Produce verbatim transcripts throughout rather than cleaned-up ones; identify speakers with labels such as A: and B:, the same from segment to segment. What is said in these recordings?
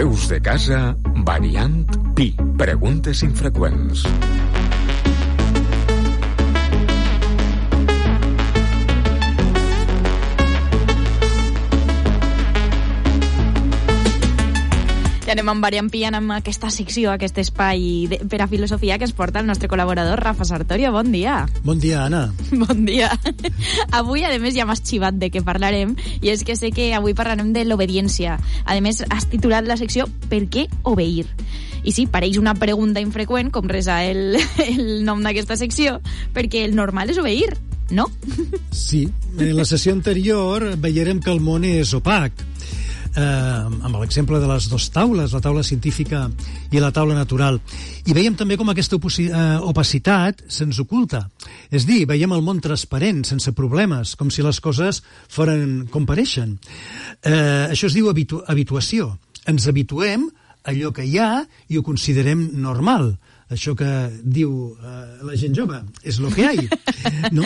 A: Veus de casa, variant Pi. Preguntes infreqüents.
B: Ja anem amb variant Pi, amb aquesta secció, aquest espai de, per a filosofia que es porta el nostre col·laborador Rafa Sartorio. Bon dia.
C: Bon dia, Anna.
B: Bon dia. Avui, a més, ja m'has xivat de què parlarem, i és que sé que avui parlarem de l'obediència. A més, has titulat la secció Per què obeir? I sí, pareix una pregunta infreqüent, com resa el, el nom d'aquesta secció, perquè el normal és obeir, no?
C: Sí, en la sessió anterior veiem que el món és opac. Eh, amb l'exemple de les dues taules, la taula científica i la taula natural. I veiem també com aquesta oposi- eh, opacitat se'ns oculta. És dir, veiem el món transparent, sense problemes, com si les coses foren com pareixen. Eh, això es diu habitu- habituació. Ens habituem a allò que hi ha i ho considerem normal. Això que diu eh, la gent jove, és lo que hay. No?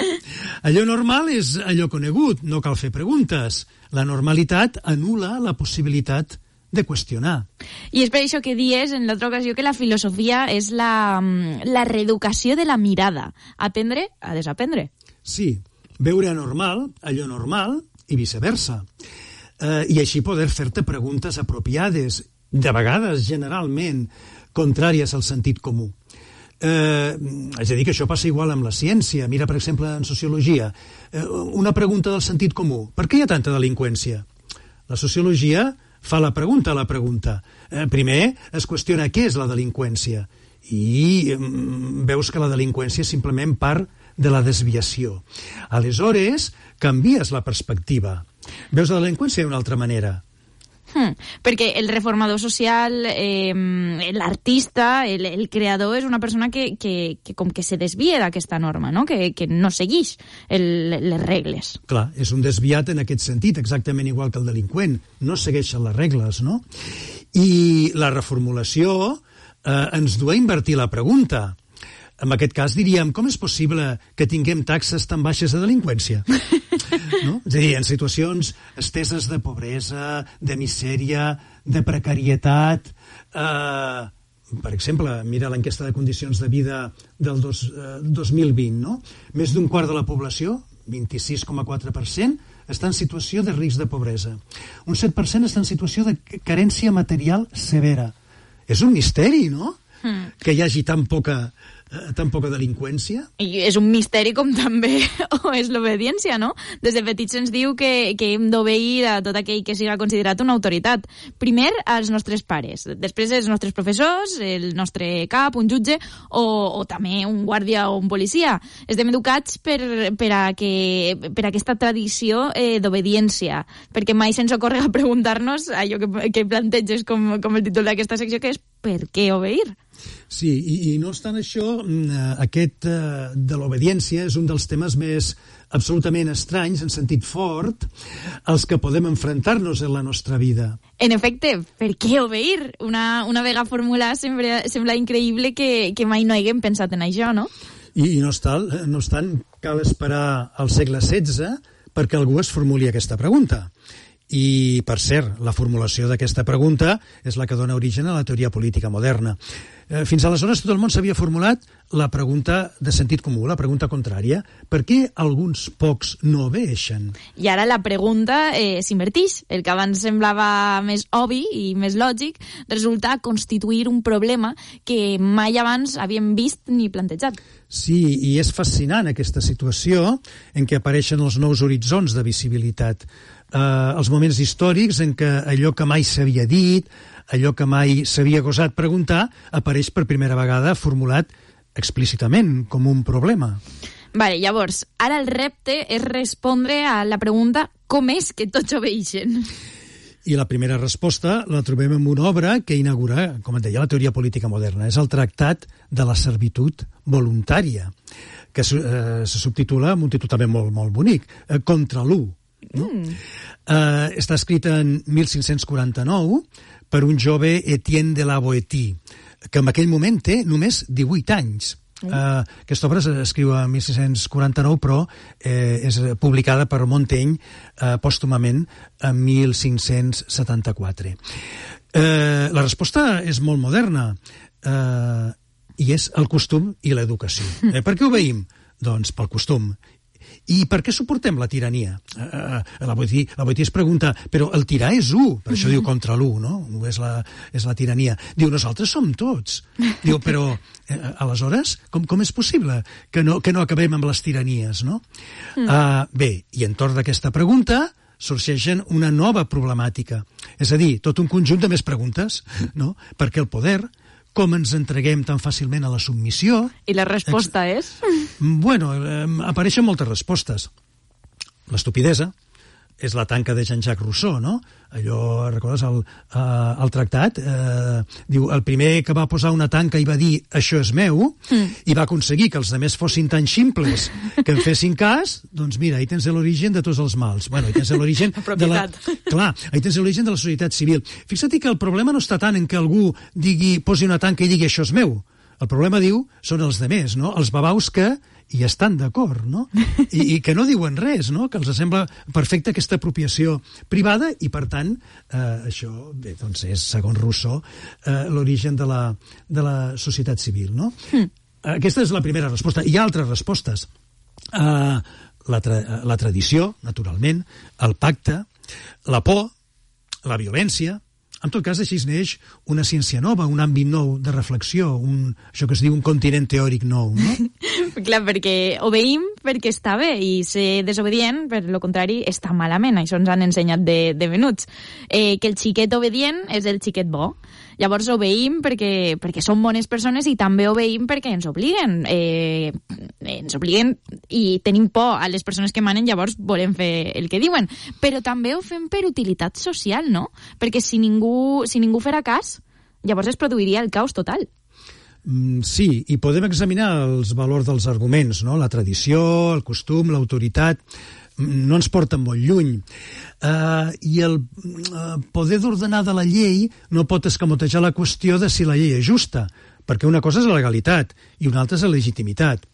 C: Allò normal és allò conegut, no cal fer preguntes. La normalitat anul·la la possibilitat de qüestionar.
B: I és per això que dies en l'altra ocasió que la filosofia és la, la reeducació de la mirada. Aprendre a desaprendre.
C: Sí, veure normal, allò normal, i viceversa. Eh, I així poder fer-te preguntes apropiades, de vegades, generalment, contràries al sentit comú. Eh, és a dir, que això passa igual amb la ciència. Mira, per exemple, en sociologia. Eh, una pregunta del sentit comú. Per què hi ha tanta delinqüència? La sociologia fa la pregunta a la pregunta. Eh, primer es qüestiona què és la delinqüència i eh, veus que la delinqüència és simplement part de la desviació. Aleshores, canvies la perspectiva. Veus la delinqüència d'una altra manera.
B: Hmm, perquè el reformador social, eh, l'artista, el, el creador és una persona que, que, que com que se desvia d'aquesta norma, no? Que, que no segueix el, les regles.
C: Clar, és un desviat en aquest sentit, exactament igual que el delinqüent. No segueixen les regles, no? I la reformulació eh, ens du a invertir la pregunta. En aquest cas diríem, com és possible que tinguem taxes tan baixes de delinqüència? No? És a dir, en situacions esteses de pobresa, de misèria, de precarietat. Eh, per exemple, mira l'enquesta de condicions de vida del dos, eh, dos mil vint, no? Més d'un quart de la població, vint-i-sis coma quatre per cent, està en situació de risc de pobresa. Un set per cent està en situació de carència material severa. És un misteri, no? Mm. Que hi hagi tan poca... tan poca delinqüència.
B: I és un misteri com també o és l'obediència, no? Des de petits se'ns diu que, que hem d'obeir a tot aquell que siga considerat una autoritat. Primer, als nostres pares, després els nostres professors, el nostre cap, un jutge, o, o també un guàrdia o un policia. Estem educats per, per, a que, per a aquesta tradició eh, d'obediència, perquè mai se'ns ocorre preguntar-nos allò que, que planteges com, com el títol d'aquesta secció, que és per què obeir?
C: Sí, i, i no obstant això, aquest eh, de l'obediència és un dels temes més absolutament estranys, en sentit fort, als que podem enfrontar-nos en la nostra vida.
B: En efecte, per què obeir? Una, una vegada formulat sembla, sembla increïble que, que mai no haguem pensat en això, no?
C: I, i no, estal, no obstant, cal esperar al segle setze perquè algú es formuli aquesta pregunta. I, per cert, la formulació d'aquesta pregunta és la que dona origen a la teoria política moderna. Eh, fins aleshores tot el món s'havia formulat la pregunta de sentit comú, la pregunta contrària. Per què alguns pocs no obeixen?
B: I ara la pregunta eh, s'invertix. El que abans semblava més obvi i més lògic resulta constituir un problema que mai abans havíem vist ni plantejat.
C: Sí, i és fascinant aquesta situació en què apareixen els nous horitzons de visibilitat. Eh, els moments històrics en què allò que mai s'havia dit, allò que mai s'havia gosat preguntar, apareix per primera vegada formulat explícitament com un problema.
B: Vale, llavors, ara el repte és respondre a la pregunta com és que tots obeixen?
C: I la primera resposta la trobem en una obra que inaugura, com et deia, la teoria política moderna. És el Tractat de la Servitud Voluntària, que eh, se subtitula amb un títol també molt, molt bonic, eh, Contra l'u. No? Mm. Eh, està escrit en mil cinc-cents quaranta-nou per un jove Etienne de la Boétie, que en aquell moment té només divuit anys. Mm. Uh, aquesta obra s'escriu a mil sis-cents quaranta-nou, però eh, és publicada per Montaigne uh, pòstumament en mil cinc-cents setanta-quatre. Eh, la resposta és molt moderna, eh, i és el costum i l'educació. Eh, per què obeïm? Doncs pel costum. I per què suportem la tirania? Eh, la Boetí, la Boetí es pregunta, però el tirar és u, per això diu contra l'u, no? U és la, és la tirania. Diu, nosaltres som tots. Diu, però, eh, aleshores, com, com és possible que no, que no acabem amb les tiranies, no? Mm. Uh, bé, i entorn d'aquesta pregunta sorgeixen una nova problemàtica. És a dir, tot un conjunt de més preguntes, no? Perquè el poder, com ens entreguem tan fàcilment a la submissió...
B: I la resposta és?
C: Bueno, eh, apareixen moltes respostes. L'estupidesa és la tanca de Jean-Jacques Rousseau, no? Allò, recordes, el, eh, el tractat, eh, diu, el primer que va posar una tanca i va dir això és meu, mm. i va aconseguir que els altres fossin tan ximples que en fessin cas, doncs mira, ahí tens l'origen de tots els mals. Bueno, ahí tens l'origen de la... Clar, ahí tens l'origen de la societat civil. Fixa't que el problema no està tant en que algú digui, posi una tanca i digui això és meu. El problema, diu, són els demés, no? Els babaus que hi estan d'acord, no? I, I que no diuen res, no? Que els sembla perfecta aquesta apropiació privada i, per tant, eh, això, bé, doncs és, segons Rousseau, eh, l'origen de la, de la societat civil, no? Mm. Aquesta és la primera resposta. Hi ha altres respostes. Eh, la, tra la tradició, naturalment, el pacte, la por, la violència. En tot cas, així es neix una ciència nova, un àmbit nou de reflexió, un, això que es diu un continent teòric nou, no?
B: Clar, perquè obeïm perquè està bé i ser desobedient, per lo contrari, està malament. Això ens han ensenyat de, de menuts. Eh, que el xiquet obedient és el xiquet bo. Llavors obeïm perquè, perquè som bones persones i també obeïm perquè ens obliguen. Eh, ens obliguen i tenim por a les persones que manen, llavors volem fer el que diuen. Però també ho fem per utilitat social, no? Perquè si ningú, si ningú farà cas, llavors es produiria el caos total.
C: Mm, sí, i podem examinar els valors dels arguments, no? La tradició, el costum, l'autoritat, no ens porten molt lluny. Uh, I el uh, poder d'ordenar de la llei no pot escamotejar la qüestió de si la llei és justa, perquè una cosa és la legalitat i una altra és la legitimitat.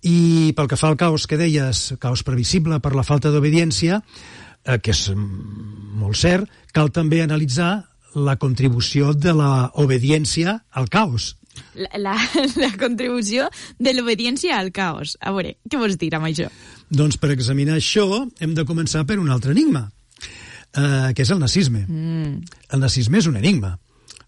C: I pel que fa al caos que deies, caos previsible per la falta d'obediència, uh, que és molt cert, cal també analitzar la contribució de l'obediència al caos.
B: La, la, la contribució de l'obediència al caos. A veure, què vols dir amb això?
C: Doncs per examinar això hem de començar per un altre enigma, eh, que és el nazisme. Mm. El nazisme és un enigma,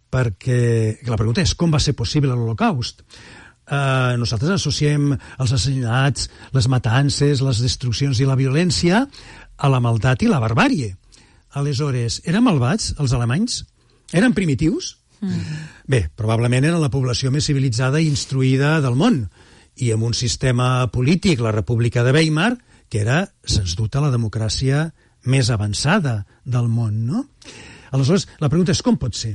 C: perquè la pregunta és com va ser possible l'Holocaust. Eh, nosaltres associem els assassinats, les matances, les destruccions i la violència a la maldat i la barbàrie. Aleshores, eren malvats els alemanys? Eren primitius? Mm. Bé, probablement era la població més civilitzada i instruïda del món, i amb un sistema polític, la República de Weimar, que era, sens dubte, la democràcia més avançada del món, no? Aleshores, la pregunta és com pot ser?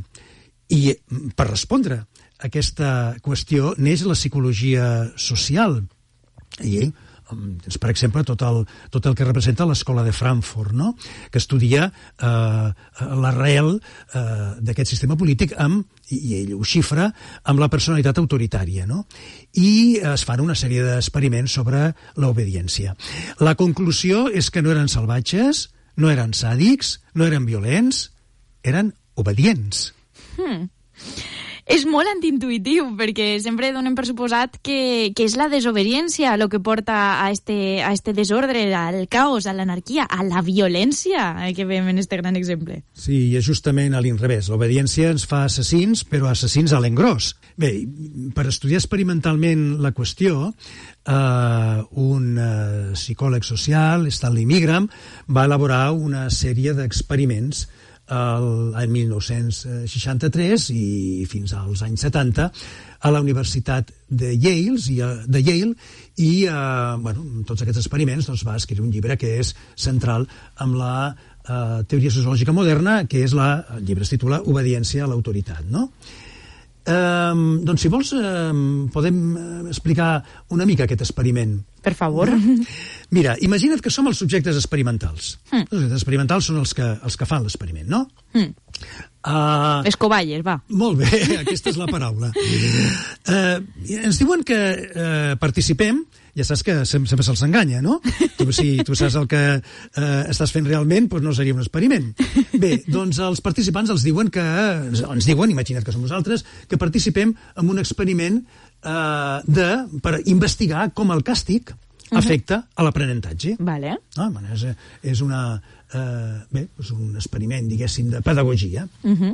C: I per respondre a aquesta qüestió neix la psicologia social. I, per exemple, tot el, tot el que representa l'escola de Frankfurt, no? Que estudia eh, l'arrel eh, d'aquest sistema polític amb, i ell ho xifra, amb la personalitat autoritària, no? I es fan una sèrie d'experiments sobre l'obediència. La conclusió és que no eren salvatges, no eren sàdics, no eren violents, eren obedients.
B: Hmm. És molt antiintuitiu, perquè sempre donem per suposat que, que és la desobediència el que porta a este, a este desordre, al caos, a l'anarquia, a la violència que veiem en este gran exemple.
C: Sí, i és justament a l'inrevés. L'obediència ens fa assassins, però assassins a l'engròs. Bé, per estudiar experimentalment la qüestió, eh, un eh, psicòleg social, Stanley Milgram, va elaborar una sèrie d'experiments l'any mil nou-cents seixanta-tres i fins als anys setanta a la Universitat de Yale i, de Yale, i eh, bueno, tots aquests experiments doncs, va escriure un llibre que és central amb la eh, teoria sociològica moderna, que és la, el llibre es titula Obediència a l'autoritat, no? Eh, doncs si vols eh, podem explicar una mica aquest experiment.
B: Per favor.
C: Mira, imagina't que som els subjectes experimentals. Mm. Els subjectes experimentals són els que, els que fan l'experiment, no? Mm. Uh,
B: Les coballes, va.
C: Molt bé, aquesta és la paraula. uh, ens diuen que uh, participem ja saps que sempre se'ls enganya, no? Tu, si tu saps el que eh, estàs fent realment, doncs no seria un experiment. Bé, doncs els participants els diuen que, ens diuen, imagina't que som nosaltres, que participem en un experiment eh, de, per investigar com el càstig afecta a l'aprenentatge.
B: Vale.
C: Ah, bueno, és, és, una, eh, bé, és un experiment, diguéssim, de pedagogia. Uh-huh.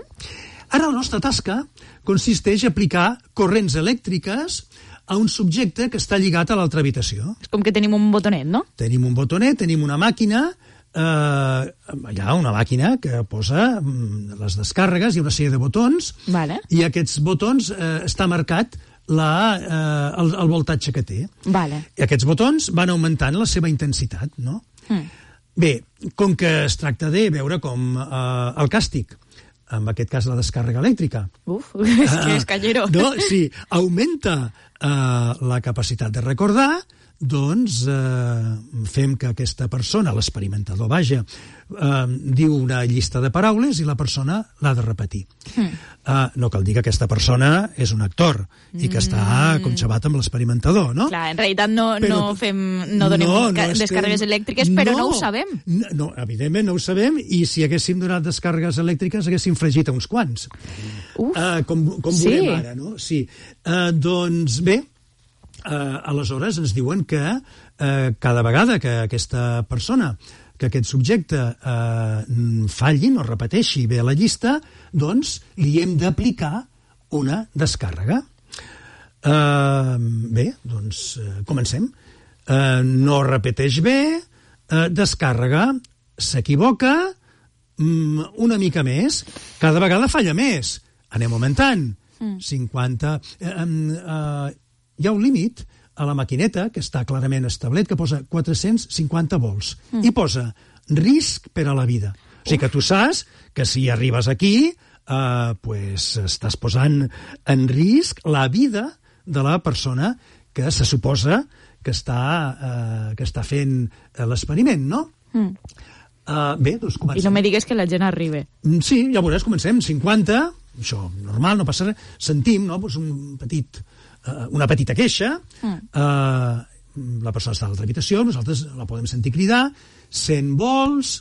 C: Ara la nostra tasca consisteix a aplicar corrents elèctriques a un subjecte que està lligat a l'altra habitació.
B: És com que tenim un botonet, no?
C: Tenim un botonet, tenim una màquina, eh, allà una màquina que posa les descàrregues i una sèrie de botons,
B: vale.
C: I aquests botons eh, està marcat la, eh, el, el voltatge que té.
B: Vale.
C: I aquests botons van augmentant la seva intensitat, no? Mm. Bé, com que es tracta de veure com eh, el càstig, en aquest cas la descàrrega elèctrica.
B: Uf, és que és callero.
C: Uh, no, sí, augmenta uh, la capacitat de recordar, doncs uh, fem que aquesta persona, l'experimentador, vaja, uh, diu una llista de paraules i la persona l'ha de repetir. Mm. Uh, no cal dir que aquesta persona és un actor i que està conxabat amb l'experimentador, no?
B: Clar, en realitat no, però, no fem, no donem no, no descàrregues estem... elèctriques, però no, no ho sabem.
C: No, no, evidentment no ho sabem, i si haguéssim donat descàrregues elèctriques haguéssim fregit a uns quants. Uf, uh, com com
B: sí.
C: veurem ara, no? Sí. Uh, doncs bé, Uh, aleshores ens diuen que uh, cada vegada que aquesta persona, que aquest subjecte uh, falli, no repeteixi bé la llista, doncs li hem d'aplicar una descàrrega. Uh, bé, doncs uh, comencem. Uh, no repeteix bé, uh, descàrrega, s'equivoca, um, una mica més, cada vegada falla més. Anem augmentant. Mm. cinquanta... Uh, uh, hi ha un límit a la maquineta, que està clarament establert, que posa quatre-cents cinquanta volts. Mm. I posa risc per a la vida. O sigui que tu saps que si arribes aquí, eh, pues, estàs posant en risc la vida de la persona que se suposa que està, eh, que està fent l'experiment, no? Mm. Uh, bé, doncs comencem.
B: I no me digues que la gent arribe.
C: Sí, ja veuràs, comencem. cinquanta, això normal, no passa res. Sentim, no?, pues un petit... Uh, una petita queixa, mm. uh, la persona està a l'altra habitació, nosaltres la podem sentir cridar, cent volts,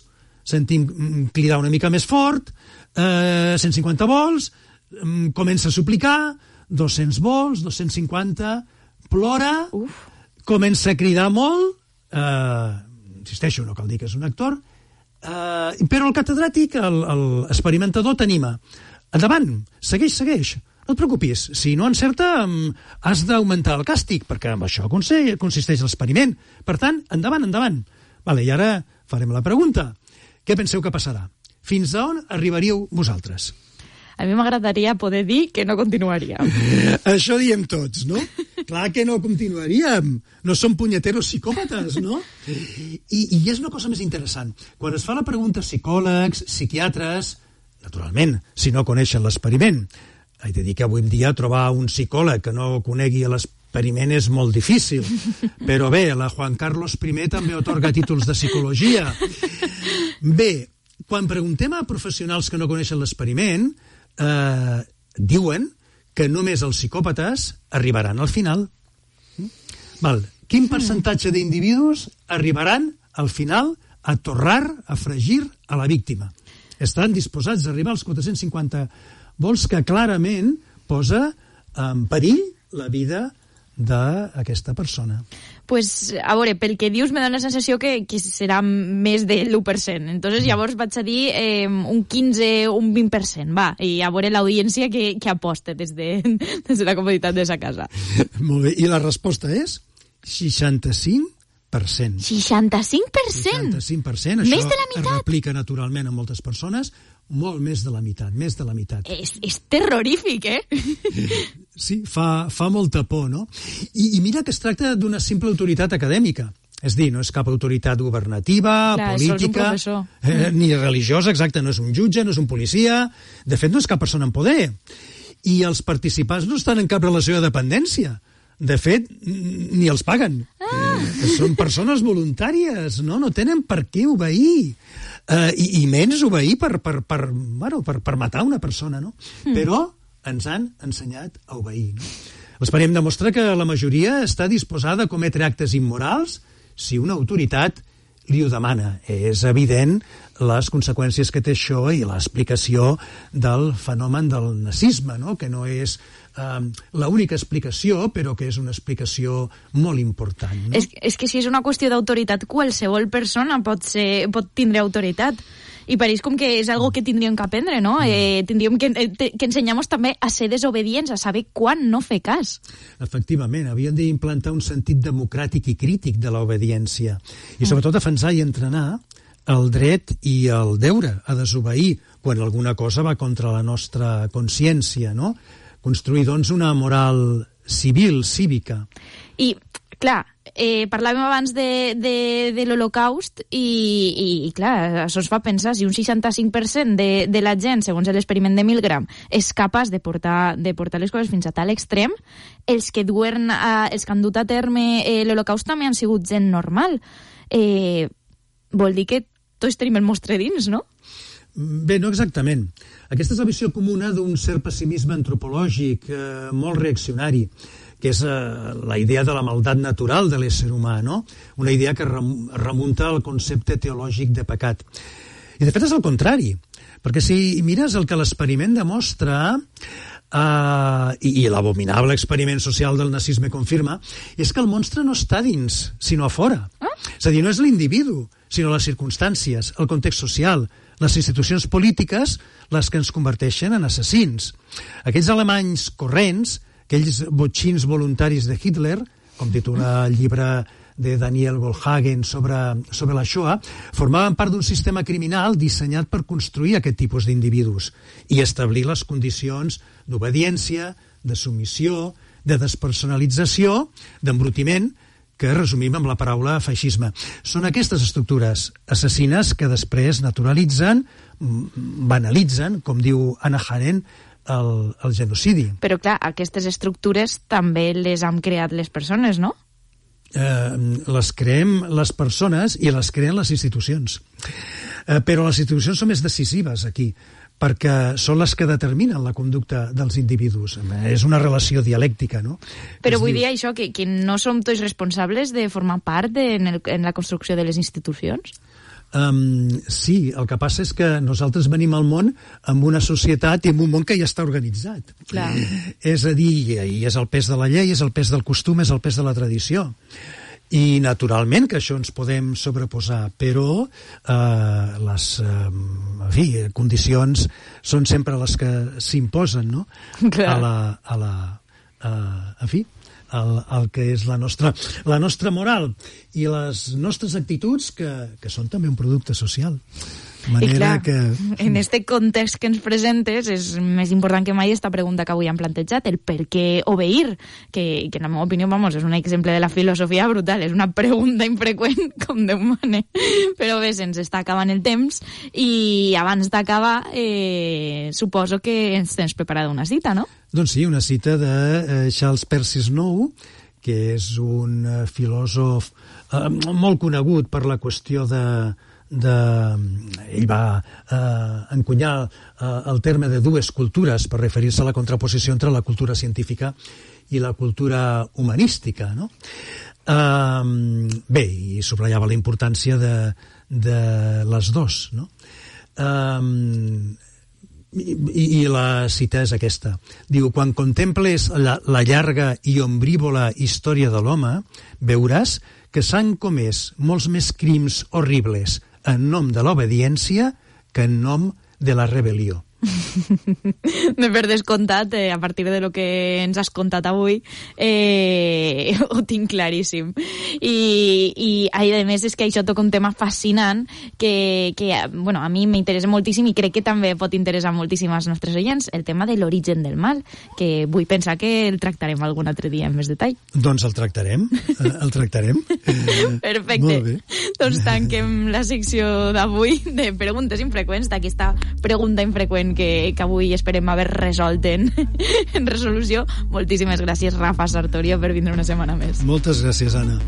C: sentim cridar una mica més fort, uh, cent cinquanta volts, um, comença a suplicar, dos-cents volts, dos-cents cinquanta, plora, Uf. comença a cridar molt, uh, insisteixo, no cal dir que és un actor, uh, però el catedràtic, l'experimentador, t'anima. Endavant, segueix, segueix. No et preocupis, si no encerta, has d'augmentar el càstig, perquè amb això consisteix l'experiment. Per tant, endavant, endavant. Vale, i ara farem la pregunta. Què penseu que passarà? Fins a on arribaríeu vosaltres?
B: A mi m'agradaria poder dir que no continuaríem.
C: Això diem tots, no? Clar que no continuaríem. No som punyeteros psicòpates, no? I, I és una cosa més interessant. Quan es fa la pregunta a psicòlegs, psiquiatres, naturalment, si no coneixen l'experiment, he de dir que avui en dia trobar un psicòleg que no conegui l'experiment és molt difícil. Però bé, la Juan Carlos I també atorga títols de psicologia. Bé, quan preguntem a professionals que no coneixen l'experiment, eh, diuen que només els psicòpates arribaran al final. Val. Quin percentatge d'individus arribaran al final a torrar, a fregir a la víctima? Estan disposats a arribar als quatre-cents cinquanta vols que clarament posa en perill la vida d'aquesta persona.
B: Pues, a veure, pel que dius me dona la sensació que, que serà més de l'u per cent. Entonces, llavors vaig a dir eh, un quinze, un vint per cent, va, i a veure l'audiència que, que aposta des de, des de la comoditat de sa casa. Molt
C: bé, i la resposta és seixanta-cinc per cent.
B: seixanta-cinc per cent?
C: seixanta-cinc per cent. Això
B: més de la meitat?
C: Es replica naturalment a moltes persones, molt més de la meitat, més de la meitat.
B: És, és terrorífic, eh?
C: Sí, fa, fa molta por, no? I, I mira que es tracta d'una simple autoritat acadèmica. És dir, no és cap autoritat governativa,
B: Clar,
C: política, eh, ni religiosa, exacte, no és un jutge, no és un policia, de fet no és cap persona en poder. I els participants no estan en cap relació de dependència. De fet, ni els paguen. Ah. Són persones voluntàries, no? No tenen per què obeir. Uh, i, I menys obeir per, per, per, bueno, per, per matar una persona, no? Mm. Però ens han ensenyat a obeir, no? L'esperiment demostra que la majoria està disposada a cometre actes immorals si una autoritat li ho demana. És evident les conseqüències que té això i l'explicació del fenomen del nazisme, no? Que no és eh, l'única explicació, però que és una explicació molt important. No?
B: És, és que si és una qüestió d'autoritat, qualsevol persona pot, ser, pot tindre autoritat. I pareix com que és algo que tindríem que aprendre, no? Eh, tindríem que, eh, que ensenyar-nos també a ser desobedients, a saber quan no fer cas.
C: Efectivament, havíem d'implantar un sentit democràtic i crític de l'obediència. I sobretot defensar i entrenar el dret i el deure a desobeir quan alguna cosa va contra la nostra consciència, no? Construir, doncs, una moral civil, cívica.
B: I, clar, eh, parlàvem abans de, de, de l'Holocaust i, i, i, clar, això es fa pensar si un seixanta-cinc per cent de, de la gent, segons l'experiment de Milgram, és capaç de portar, de portar les coses fins a tal extrem, els que, duen a, els que han dut a terme eh, l'Holocaust també han sigut gent normal. Eh, vol dir que tots tenim el mostre dins, no?
C: Bé, no exactament. Aquesta és la visió comuna d'un cert pessimisme antropològic eh, molt reaccionari, que és eh, la idea de la maldat natural de l'ésser humà, no? Una idea que remunta al concepte teològic de pecat. I de fet és el contrari, perquè si mires el que l'experiment demostra, eh, i, i l'abominable experiment social del nazisme confirma, és que el monstre no està dins, sinó a fora. Ah? És a dir, no és l'individu, sinó les circumstàncies, el context social, les institucions polítiques, les que ens converteixen en assassins. Aquells alemanys corrents, aquells botxins voluntaris de Hitler, com titula el llibre de Daniel Goldhagen sobre, sobre la Shoah, formaven part d'un sistema criminal dissenyat per construir aquest tipus d'individus i establir les condicions d'obediència, de submissió, de despersonalització, d'embrutiment, que resumim amb la paraula feixisme. Són aquestes estructures assassines que després naturalitzen, banalitzen, com diu Hannah Arendt, el, el genocidi.
B: Però clar, aquestes estructures també les han creat les persones, no?
C: Eh, les creem les persones i les creen les institucions. Eh, però les institucions són més decisives aquí, perquè són les que determinen la conducta dels individus. És una relació dialèctica, no?
B: Però vull dir això, que, que no som tots responsables de formar part de, en, el, en la construcció de les institucions?
C: Um, sí, el que passa és que nosaltres venim al món amb una societat i amb un món que ja està organitzat.
B: Clar.
C: És a dir, i és el pes de la llei, és el pes del costum, és el pes de la tradició. I naturalment que això ens podem sobreposar, però eh, les eh, en fi, condicions són sempre les que s'imposen, no?
B: Clar.
C: A la, a la, a, en fi, el, el que és la nostra, la nostra moral i les nostres actituds que, que són també un producte social.
B: I clar,
C: que...
B: en este context que ens presentes és més important que mai esta pregunta que avui han plantejat, el per què obeir, que, que en la meva opinió, vamos, és un exemple de la filosofia brutal, és una pregunta infreqüent com Déu mane. Però bé, se'ns està acabant el temps i abans d'acabar eh, suposo que ens tens preparada una cita, no?
C: Doncs sí, una cita de eh, Charles Percy Snow, que és un eh, filòsof eh, molt conegut per la qüestió de de... ell va eh, encunyar eh, el terme de dues cultures per referir-se a la contraposició entre la cultura científica i la cultura humanística, no? Eh, bé, i subratllava la importància de, de les dos, no? Eh, i, i la cita és aquesta. Diu, quan contemples la, la llarga i ombrívola història de l'home, veuràs que s'han comès molts més crims horribles en nom de l'obediència que en nom de la rebel·lió.
B: De per descomptat, eh, a partir de lo que ens has contat avui, eh, ho tinc claríssim. I, i a més és que això toca un tema fascinant que, que bueno, a mi m'interessa moltíssim i crec que també pot interessar moltíssim als nostres oients, el tema de l'origen del mal, que vull pensar que el tractarem algun altre dia en més detall.
C: Doncs el tractarem, el tractarem.
B: Perfecte.
C: Molt bé.
B: Doncs tanquem la secció d'avui de preguntes infreqüents, d'aquesta pregunta infreqüent que, que avui esperem haver resolt en, en resolució. Moltíssimes gràcies, Rafa Sartorio, per vindre una setmana més.
C: Moltes gràcies, Anna.